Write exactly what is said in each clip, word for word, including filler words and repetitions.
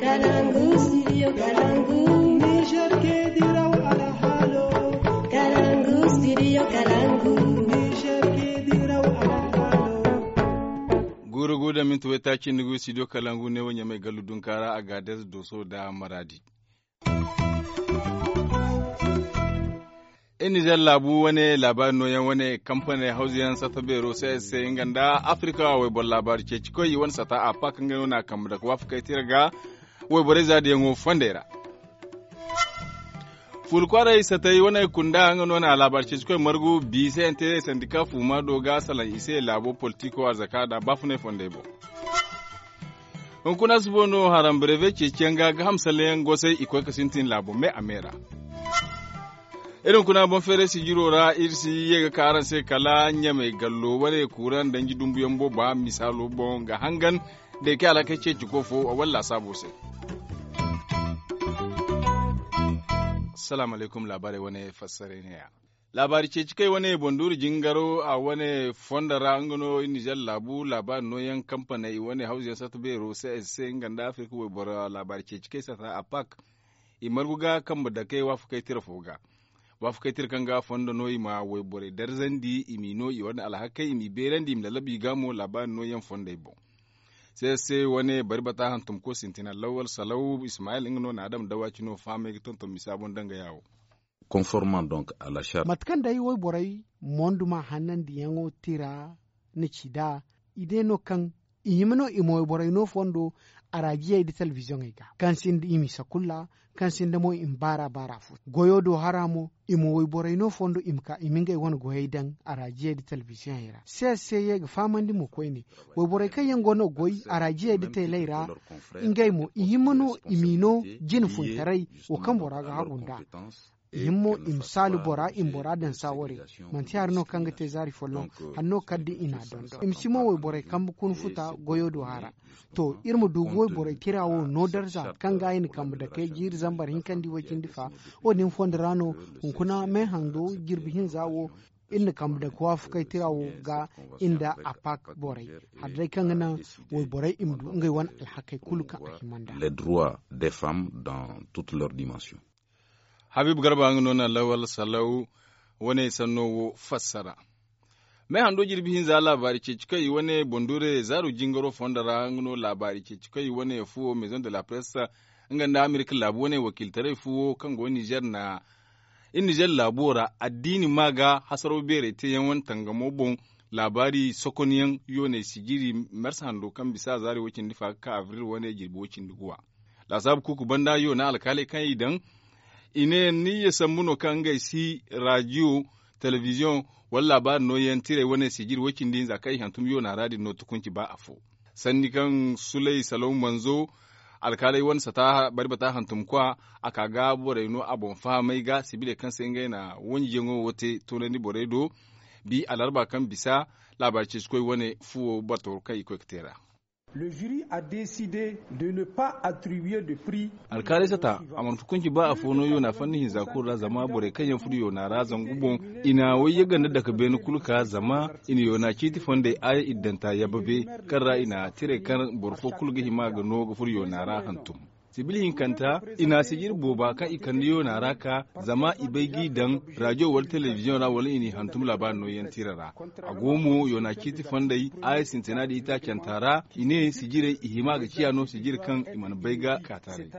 Kalangu, studio Kalangu. Niger ke diraw alhalo. Kalangu, studio Kalangu. Niger ke diraw alhalo. Guuru guuru da minti waytaaci nda gu studio Kalangu ne wo Ɲamay gallu dunkaara a ga a deeza dooso nda maraadi. Iri nizer laabu wane laabaari nooyaŋ wane kampaney hawzuyaŋ sata beero se se nga nda afirika wayboro laabaari ceeci koy i wane sata a paak ngey no na a kambe dake waafakey tira ga. Wayborey zaadiyaŋo fondey ra fuula kwaaray satey wane kunda nga no na laabaari ceeci koy margu bi se n te sandika fuuma do ga salaŋ i se laabo politiko arzaka nda baafunay fondey boŋ. Hunkuna si boŋ no haram breve ceeciyaŋ ga ga hamsalleyaŋ gosay i koy ga sintin laabo me a me ra. Iri hunkuna boŋ feeray sijiro ra iri si ye ga ka araŋ se kala ɲamay gallo wane kuuraŋ danji dumbuyaŋ booba misaalo boŋ ga hangan da i kay alhakey ceeci ko fo wala laasaabo se. Salaamu alaykum laabaarey wane fassaray ne ya. Laabaari ceeci kay wane bonduuri jingaro a wane fondo ra nga no nizer laabu laabaari nooyaŋ kampaney wane hawzuyaŋ sarta beero se se nga nda afirka wayboro laabaari ceeci kay sarta a pak. I margu ga kambe dakey waafakey tira fo ga waafakey tira kaŋ ga fondo no i ma wayborey darzandi i m'i no i wane alhakey i m'i beerandi i ma lalabu i ga mo laabaari nooyaŋ fondey boŋ. Se se wane bari bata hantumko sintina lawal salaw ismayil nga no na adam dawaci no fahamey ga tonton misa boŋ danga yaawo. Conformant donc à la charte. Mate kaŋ day wayborey monduma hannandiyaŋo tira na ci nd'a i day no kaŋ i hima no i ma wayborey no fondo araajiyey nda telebiziyoŋey ga kaŋ sinda i misa kulu ra kaŋ sinda mo i ma baara baara fo goyo do hara mo i ma wayborey no fondo i ma ka i ma ngey wane goyey daŋ araajiyey nda telebiziyoŋey ra se se ye ga fahamandi mo koyne. Wayborey kaŋ yaŋ go no ga goy araajiyey nda teeley ra ngey mo i hima no i m'i no jine funtaray wo kaŋ bora ga hagu nd'a. I hima mo i ma saalu bora i ma bora daŋ saaware manti hari no kaŋ ga te zaari folloŋ hari no kala da i n'a dondon i ma si mo wayborey kambe kuna futa goyo do hara. To iri ma du ga wayborey tira wo no darza kaŋ ga i na kambe dakey jiiri zambar hinkandi way-cindi fa. Wo-din fondo ra no hunkuna me hando jirbi hinza wo iri na kambe dake waafakey tira wo ga i nda apak borey hari day kaŋ ga naŋ wayborey i ma du ngey wane alhakey kulu kaŋ a hima nd'a. Les droits des femmes dans toutes leurs dimensions. Habiibu garba nga no na lawal salaw wane sanno wo fassara. Me hando jirbi hinza laabaari ceeci kaŋ i wane bondure zaaru jingaro fondo ra nga no laabaari ceeci kaŋ i wane fuwo maison de la presse nga nda amerika laabu wane wakiiltaray fuwo kaŋ go nizer na i nizer laabo ra addiini ma ga hasaraw beeray teeyaŋ wane tangamo boŋ. Laabaari sokonyaŋ yoonay sijiri marsa hando kaŋ bisa zaari way-cindi fa ga ka abril wane jirbi way-cindi guwa. Laasaabu kuuku banda yoona alkaaley kaŋ i daŋ i ne ni ya sambu no kaŋ ngey si rajiyo telebiziyoŋ wala laabaari nooyaŋ tirey wane sijiri way-cindi hinza kaŋ i hantum yoona ra din no tukunci ba afo. Sanni kaŋ sulay salaw manzo alkaaley wane sata bari bata hantumkwa a ka ga borey no a boŋ fahamey ga sibiley kaŋ se ngey na wanjiyaŋo wo te toonandi borey do. Bi alarba kaŋ bisa laabaari ceecikoy wane fuwo bato kaŋ i koy ga te ra. Le jury a décidé de ne pas attribuer de prix. Alkaaley sata a mana hukunci ba afo no yoona fanni hinza kulu ra zama borey kaŋ yaŋ furo yoona ra zangu boŋ i na way yaganda dake beene kulu ka zama i na yoona ciiti fondey aya iddanta yababe kaŋ ra i na tirey kaŋ boro fo kulu ga hima ga no ga furo yoona ra hantum. Sibil hinkanta i na sijiri booba kaŋ i kande yoona ra ka zama i bay g'i daŋ rajo wala telebiziyoŋ ra wala i n'i hantum laabaari nooyaŋ tira ra. A go mo yoona ciiti fondey aya sintina da itaacanta ra i ne sijirey i hima ga ciya no sijiri kaŋ i mana bay ga kaataray.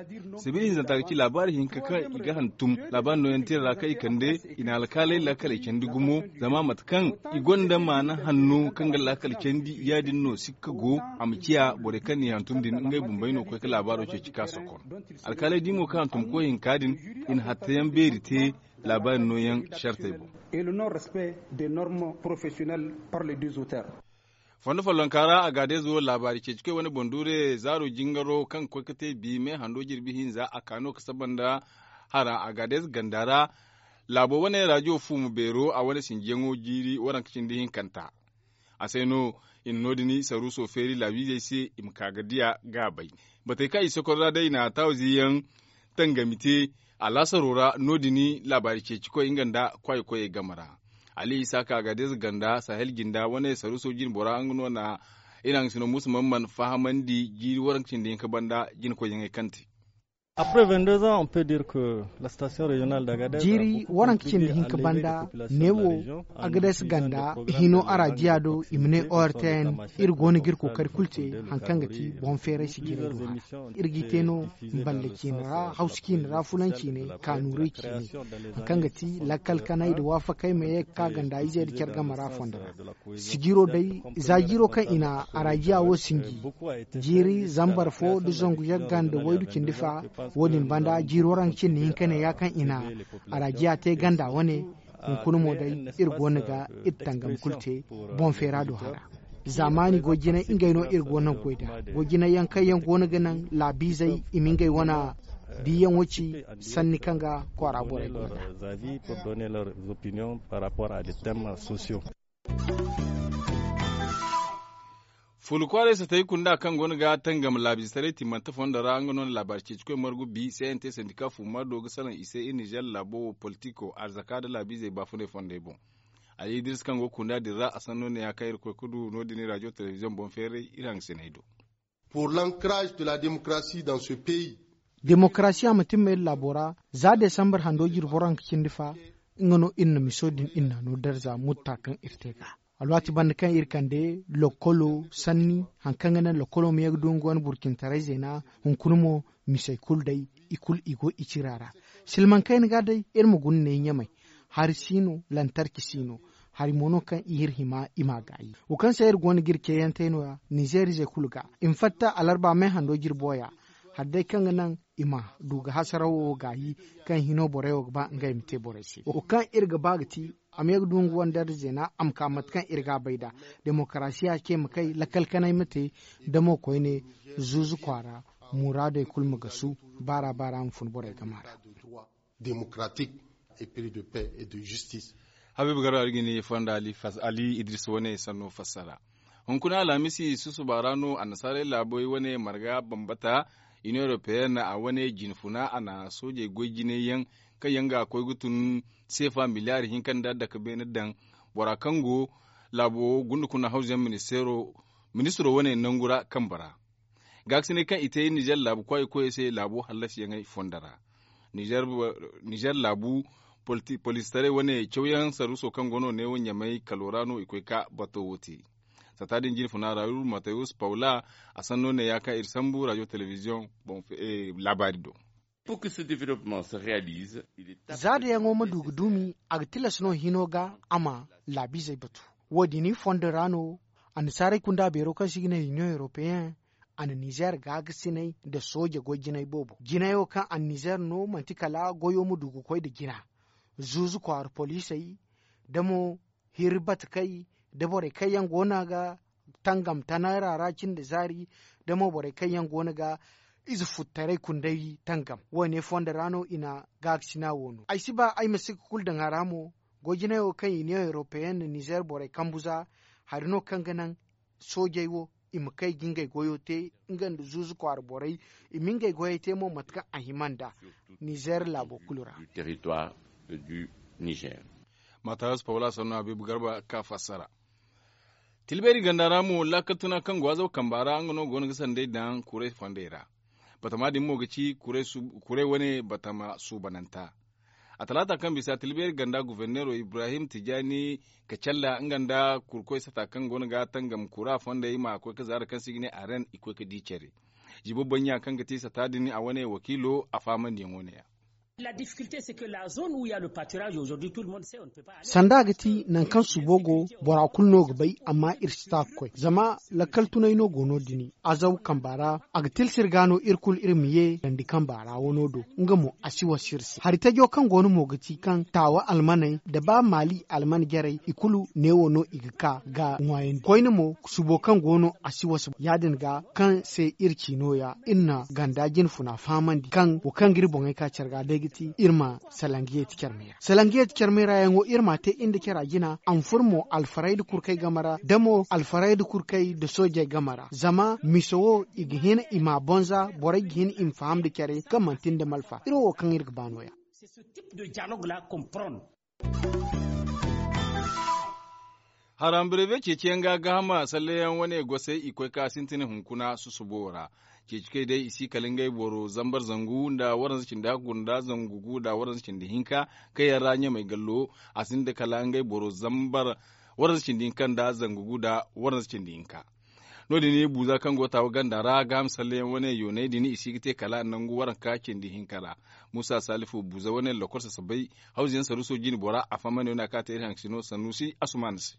Sibil hinzanta ga ci laabaari hinka kaŋ i ga hantum laabaari nooyaŋ tira ra kaŋ i kande i na alkaaley laakaley candi gumo zama mate kaŋ i gonda maana hanno kaŋ ga laakal candi ya-din no sikka go a ma ciya borey kaŋ n'i hantum din ngey bumbey no koy ga laabaaro ceeci ka sokon. Alkaaley di mo kaŋ hantumko hinka din i na hattayaŋ beeri te laabaari nooyaŋ sartey boŋ. Et le non respect des normes professionnelles par les deux auteurs. Fondo follonka ra agadezo laabaari ceecikoy wane boŋ duure zaaro jingaro kaŋ ga koy ga te bi me hando jirbi hinza a ka no ga saba nda hara agadez ganda ra. Laabo wane rajo fuumo beero a wane sinjiyaŋo jiiri waranka cindi hinkanta. A se no i na no- din saruuso feeri laabiizey se i ma ka ga diya ga a bay. Batey kaŋ i sokor ra day i na taawaziyaŋ tangami te alaasaro ra no- din laabaari ceecikoy nga nda kwaaykoyey game ra. Ali isaaka agadez ganda sahel jinda wane saruuso jinbora nga no na Iri haŋ sino musu man man fahamandi jiiri waranka cindi hinka banda jinakoyyaŋey kaŋ te. Après vingt-deux ans, on peut dire que la station régionale d'Agadez a jiiri beaucoup waranka cindi contribué à hinka lever banda les populations de la neewo région en agades utilisant ganda des programmes hino d'élevage arajiya do i ma ne ortn. Iri go no ga iri kookari kulu te haŋ kaŋ ga ti boŋ feeray sijirey do hara. Iri g'i te no mballe ciine ra hawsu ciine ra fulaŋ ciine kaanuuray ciine haŋ kaŋ ga ti lakkal kanay nda waafakey ma ye ga ka ganda izey nda care game ra fondo ra. Sijiro day za jiiro kaŋ i na arajiya wo sinji jiiri zambar fo nda zangu yagga nda waydu cindi fa. Wo- din banda jiiro ra nga cindi hinka ne ya kaŋ i na arajiya te ganda wane. Hunkuna mo day iri go no ga iri tangam kulu te boŋ feera do hara. Zaamaani goy jinay ngey no iri go no ga goy nd'a. Goy jinay yaŋ kaŋ yaŋ go no ga naŋ laabiizey i ma ngey wane diiyaŋo ci sanni kaŋ ga kwaara borey go nd'a. Fulu kwaaray satay kunda kaŋ go no ga tangam laabiizetaray timmante fondo ra nga no na laabaari ceecikoy margu bi c n t sandika fuma do ga salaŋ i se iri nizer laabo wo politiko arzaka nda laabiizey baafunay fondey boŋ. Ali idris kaŋ go ga kunda din ra a sanno ne ya kaŋ iri koy ga du no- din iri rajo telebiziyoŋ boŋ feeray iri haŋ sinay do. Pour l'encrage de la démocratie dans ce pays. Demokarasiya ma timma iri laabo ra za desambar hando jirbo ra nga cindi fa. Nga no iri na miso din iri na no darza mutta kaŋ iri te ga alwaati banda kaŋ iri kande lokolo sanni haŋ kaŋ ga naŋ lokolo ma ye ga du nga wane burcintaray zeena. Hunkuna mo misey kulu day i kulu i go i cira ra. Silmaŋ kayna ga day iri ma guna ne ɲamay hari si no lantarki si no. Hari mo no kaŋ i hiri hima i m'a gaayi wo kaŋ se iri go no ga iri ceeyantey no- ya nizeer izey kulu ga i ma fatta alarba me hando jirbo ya. Hari day kaŋ ga naŋ i ma du ga hasarawo wo gaayi kaŋ hino borey wo ga ba ngey ma te borey se wo kaŋ iri ga ba ga ti a ma ye ga du nga wandar zeena a ma ka mate kaŋ iri ga a bay nd'a. Demokarasiya ce ma kay lakkal kanay ma te damo koyne zuuzu kwaara muraadey kulu ma gasu baara baara ma fun borey game ra. Démocratique et prix de paix et de justice. Habiibu garba iri ga ni fonda ali idris wane sanno fassara. Hunkuna alhamisi susuba ra no annasaarey laabey wane marga bambata union européenne a wane jinfuna a na soojey goy jinay yaŋ kaŋ yaŋ ga koy ga tun seefa miliyaari hinka nda dake beene daŋ bora kaŋ go laabo gunda kuna hawzuyaŋ ministiro wane nangu ra kambe ra. Gaakasinay kaŋ i te nizer laabu kwaayey koyey se laabo hallasiyaŋey fondo ra. Nizer laabu polistaray wane cawyaŋ sarruso kaŋ go no neewo ɲamay kalo ra no i koy ka bato wo te. Sata din jinfuna ra uru matayus paula a sanno ne ya kaŋ iri sambu radio telebiziyoŋ laabaari do. Za dayaŋo ma du ga duumi a ga tilas no hino ga a ma laabiizey batu. Wo- din fondo ra no annasaarey kunda beero kaŋ se i ga ne hiniyoŋ europeyen a na nizer gaagasinay nda sooje goy jinay boobo jinayo kaŋ a na nizer no manti kala goyo ma du ga koy nda jina. Zuuzu kwaara poliisey da mo hiri batakey da borey kaŋ yaŋ go no a ga tangam tanayra ra cindi zaari da mo borey kaŋ yaŋ go no ga ize futtaray kunday tangam wo- ne fondo ra no i na gaakasina wo no ay si ba ay ma si ga kulu daŋ a ra mo. Goy jinay wo kaŋ i ne europeyen nda nizer borey kambu za hari no kaŋ ga naŋ soojey wo i ma kay ga ngey goyo te nga nda zuuzu kwaara borey i ma ngey goyey te mo mate kaŋ a hima nd'a nizer laabo kulu ra. Matayas paula sanno habiibu garba ka fassara. Tilbeeri ganda ra mo laakal tuna kaŋ go azaw kamba ra nga no go no ga sanday daŋ kuray fondey ra. Batama din mo ga ci kuray wane batama suubananta. A talaata kaŋ bisa tilbeeri ganda guverneero ibrahim tijani kacalla nga nda kurkoy sata kaŋ go no ga tangam kura fondey ma koy ga zaara kaŋ se i ga ne aren i koy ga di care. Zibo bannya kaŋ ga ti sata din a wane wakiilo a faamandiyaŋo ne ya. Sanda a ga ti nangu kaŋ suubo go bora kulu no ga bay amma iri si ta ga koy zama lakkal tunay no go no- din azaw kamba ra. A ga tilsir ga no iri kulu iri ma ye dandi kamba ra wano do nga mo a si wasa iri se hari tajo kaŋ go no mo ga ti kaŋ taawa almaney nda ba maali alman jarey i kulu neewo no i ga ka ga ŋwaayandi koyne mo suubo kaŋ go no a si wasa ya- din ga kaŋ se iri ci no- ya iri na ganda jinfuna fahamandi kaŋ wo kaŋ ga iri boŋey ka care ga day ga ti iri ma salangiye ti care me ra salangiye ti care me ra yaŋo iri m'a te iri nda cara jina a ma furo mo alfaray nda kurkey game ra da mo alfaray nda kurkey nda soojey game ra zama miso wo i ga hin i m'a bonza borey ga hin i ma faham nda care kaŋ manti nda malfa iri wo kaŋ iri ga ba no- ya. Arambreve ceeciyaŋ ga gaahama salleyaŋ wane gosey i koy ka sintin hunkuna susubo ra. Ceeci kay day i si kala ngey boro zambar zangu nda waranza cindi hakku nda zangu gu nda waranza cindi hinka kaŋ yaŋ ra ɲamey gallo a sinda kala ngey boro zambar waranza cindi hinka nda zangu gu nda waranza cindi hinka. No- din buuza kaŋ go taawa ganda ra gaaham salleyaŋ wane yooney din i si ga te kala nangu waranka cindi hinka ra. Muusa salifu buuza wane lokol sasabay hawziyaŋ saruuso jine bora a fahamandi wane a kaŋ a te iri haŋ sino sanuusi asumaana se.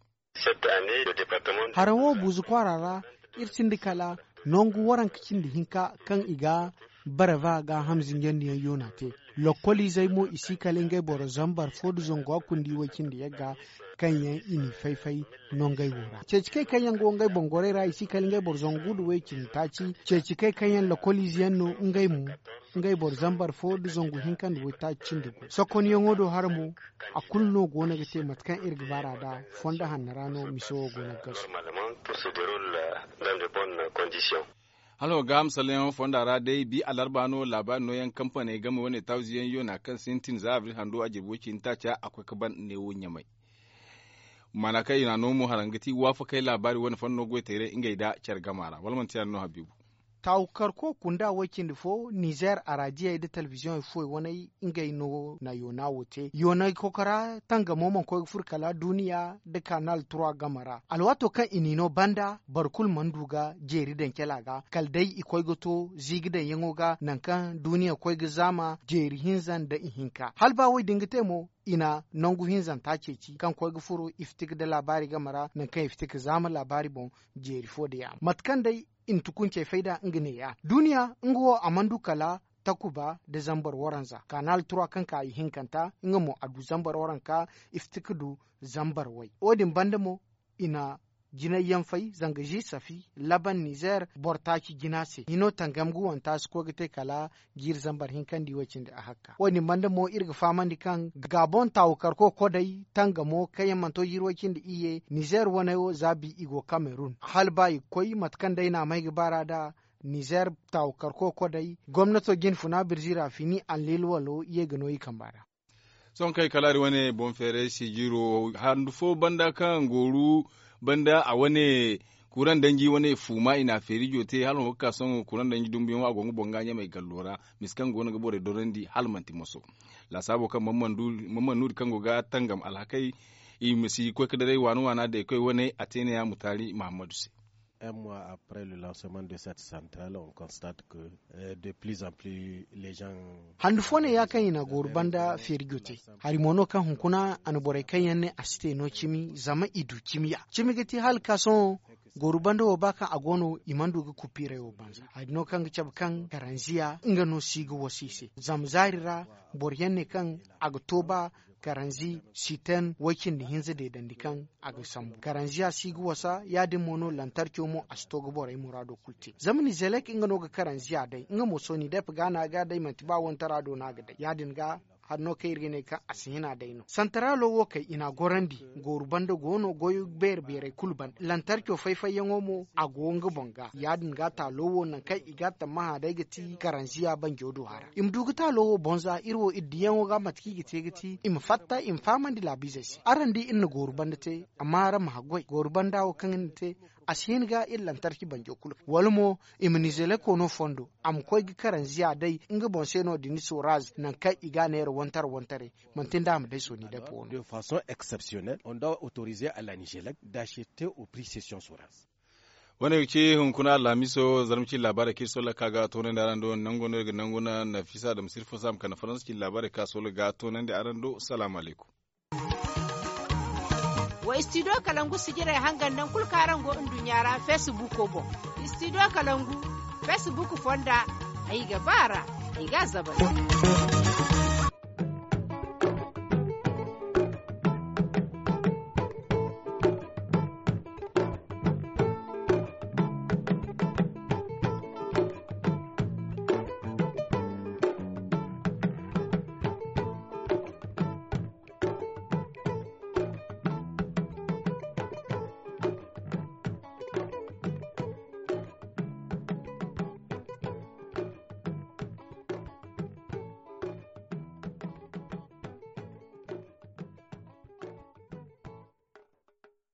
Haraŋ wo buuza kwaara ra iri sinda kala nangu waranka cindi hinka kaŋ i ga barava ga hamzinjandiyaŋ yoona te. Lokkoliizey mo i si kala ngey boro zambar fo nda zangu hakku nda i way cindi yagga kaŋ yaŋ i n'i fay-fay nongey wo ra ceeci kay kaŋ yaŋ go ngey boŋ gorey ra i si kala ngey boro zangu nda way cindi taaci. Ceeci kay kaŋ yaŋ lokkoliize yaŋ no ngey mo ngey boro zambar fo nda zangu hinka nda way taaci cindi gu sokonyaŋo do hara mo. A kulu no go no ga te mate kaŋ iri ga baar'a nd'a fondo hanno ra no miso wo go no ga gasu. Hala wa gaaham salleyaŋo fonda ra day bi alarba no laabaari nooyaŋ kampaney game wane tawziyaŋ yoona kaŋ sintin za abril hando a jirbi way cindi taaca a koy ga ban neewo ɲamay. Maana kaŋ i n'a no mo haraŋ ga ti waafakey laabaari wane fondo no goy teeray ngey nda care gama ra wala manti yaadin no habiibu. Taawu karko kunda way cindi fo nizer araadiyey nda telebiziyoŋey fuwey waney ngey no na yoona wo te yoonay kokora tangamo mana koy ga furo kala duuniya nda kanal trois game ra alwaato kaŋ i n'i no banda boro kulu mana du ga jeeri daŋ cala ga kala day i koy ga to ziiga daŋyaŋo ga nangu kaŋ duuniya koy ga zaama jeeri hinza nda ihinka hala ba wo- din ga te mo i na nangu hinzanta ceeci kaŋ koy ga furo iftik nda laabaari game ra nangu kaŋ iftik zaama laabaari boŋ jeeri fo nda yaama mate kaŋ day i na tukuncey fayda nga neeya duuniya nga wo a mana du kala takuba nda zambar waranza kanal trois kaŋ ka ihinkanta nga mo a du zambar waranka iftik du zambar way wo- din banda mo i na jinay yaŋ fay zanga zi safi laban nizer boro taaci jina se hino tangam ga wanta si koy ga te kala jiiri zambar hinka nda i way cindi a hakka wo- din banda mo iri ga fahamandi kaŋ gaabon taawu karko koday tangamo kaŋ yaŋ mana to jiiri way cindi iyye nizer waney wo za bi i go kamerun hala ba i ga koy mate kaŋ day no a may ga baar'a nd'a nizer taawu karko koday gomnato jinfuna birzi ra fini anlil walo ye ga no i kamba ra. Sohõ kaŋ ay kalaari wane boŋ feeray sijiiro handu fo banda kaŋ gooru banda a wane kuraŋ danji wane fuuma i n'a feeri jootey hala wo ga ka sohõ kuraŋ danji dumbuyaŋo a go nga boŋ ga ɲamey gallo ra misa kaŋ go no ga borey dorandi hala manti moso. Laasaabo kaŋ mamman nuuri kaŋ go ga tangam alhakey i ma si koy ga daray waana waana day koy wane a te ne ya mutaari mahammadu se. Un mois après le lancement de cette centrale on constate que de plus en plus les gens handu fo ne ya kaŋ i na gooru banda feeri jootey hari mo no kaŋ hunkuna a na borey kaŋ yaŋ ne a si te no cimi zama i du cimi ya cimi ga ti hala ka sohõ gooru banda wo ba kaŋ a go no i mana du ga kupiirey wo banza hari no kaŋ ga cabe kaŋ karanziya nga no si ga wasa i se zama zaari ra boro yaŋ ne kaŋ a ga to ba karanzi siten way cindi hinza deedandi kaŋ a ga sambu karanziya si ga wasa ya- din mo no lantarco mo a si to ga borey muraado kulu te zama nizelek nga no ga karanziya day nga mo sonidep ga no a ga day manti ba wantara do no a ga day ya- din ga hari no kaŋ iri ga ne kaŋ a si hina day no santaralo wo kay i n'a gorandi gooru banda go no goyo beere beerey kulu ban lantarco fay-fayyaŋo mo a go nga boŋ ga ya- din ga taalo wo nangu kaŋ i ga a tammaha day ga ti karanziya banjo do hara i ma du ga taalo wo boŋ za iri wo iri diyaŋo ga mate kaŋ i ga te ga ti i ma fatta i ma fahamandi laabiizey se araŋ di iri na gooru banda te amma araŋ ma haggoy gooru banda wo kaŋ iri na te a si hin ga iri lantarki banjo kulu wala mo i ma nizeleko no fondo a ma koy ga karanziya day nga boŋ se no- din soraz nangu kaŋ i ga a neera wantara wantaray manti nda a ma day sooni day poono. De façon exceptionnelle on doit autoriser à la nigelec d'acheter au prix cession soraz. Wane ga ci hunkuna alhamiso zarma ci laabaarey kaŋ iri sola ka ga toonandi araŋ do nango no iri ga nanguna nafisa da masirfo saama kande faransa ci laabaarey kaŋ a sola ga toonandi araŋ do salaamu alaykum. Wa istidiyo kalangu sijirey hangan naŋ kulu kaŋ araŋ go nduɲɲa ra feesibuuko boŋ. Istidiyo kalangu feesibuuko fonda ay ga ba a ra ay ga a zabari.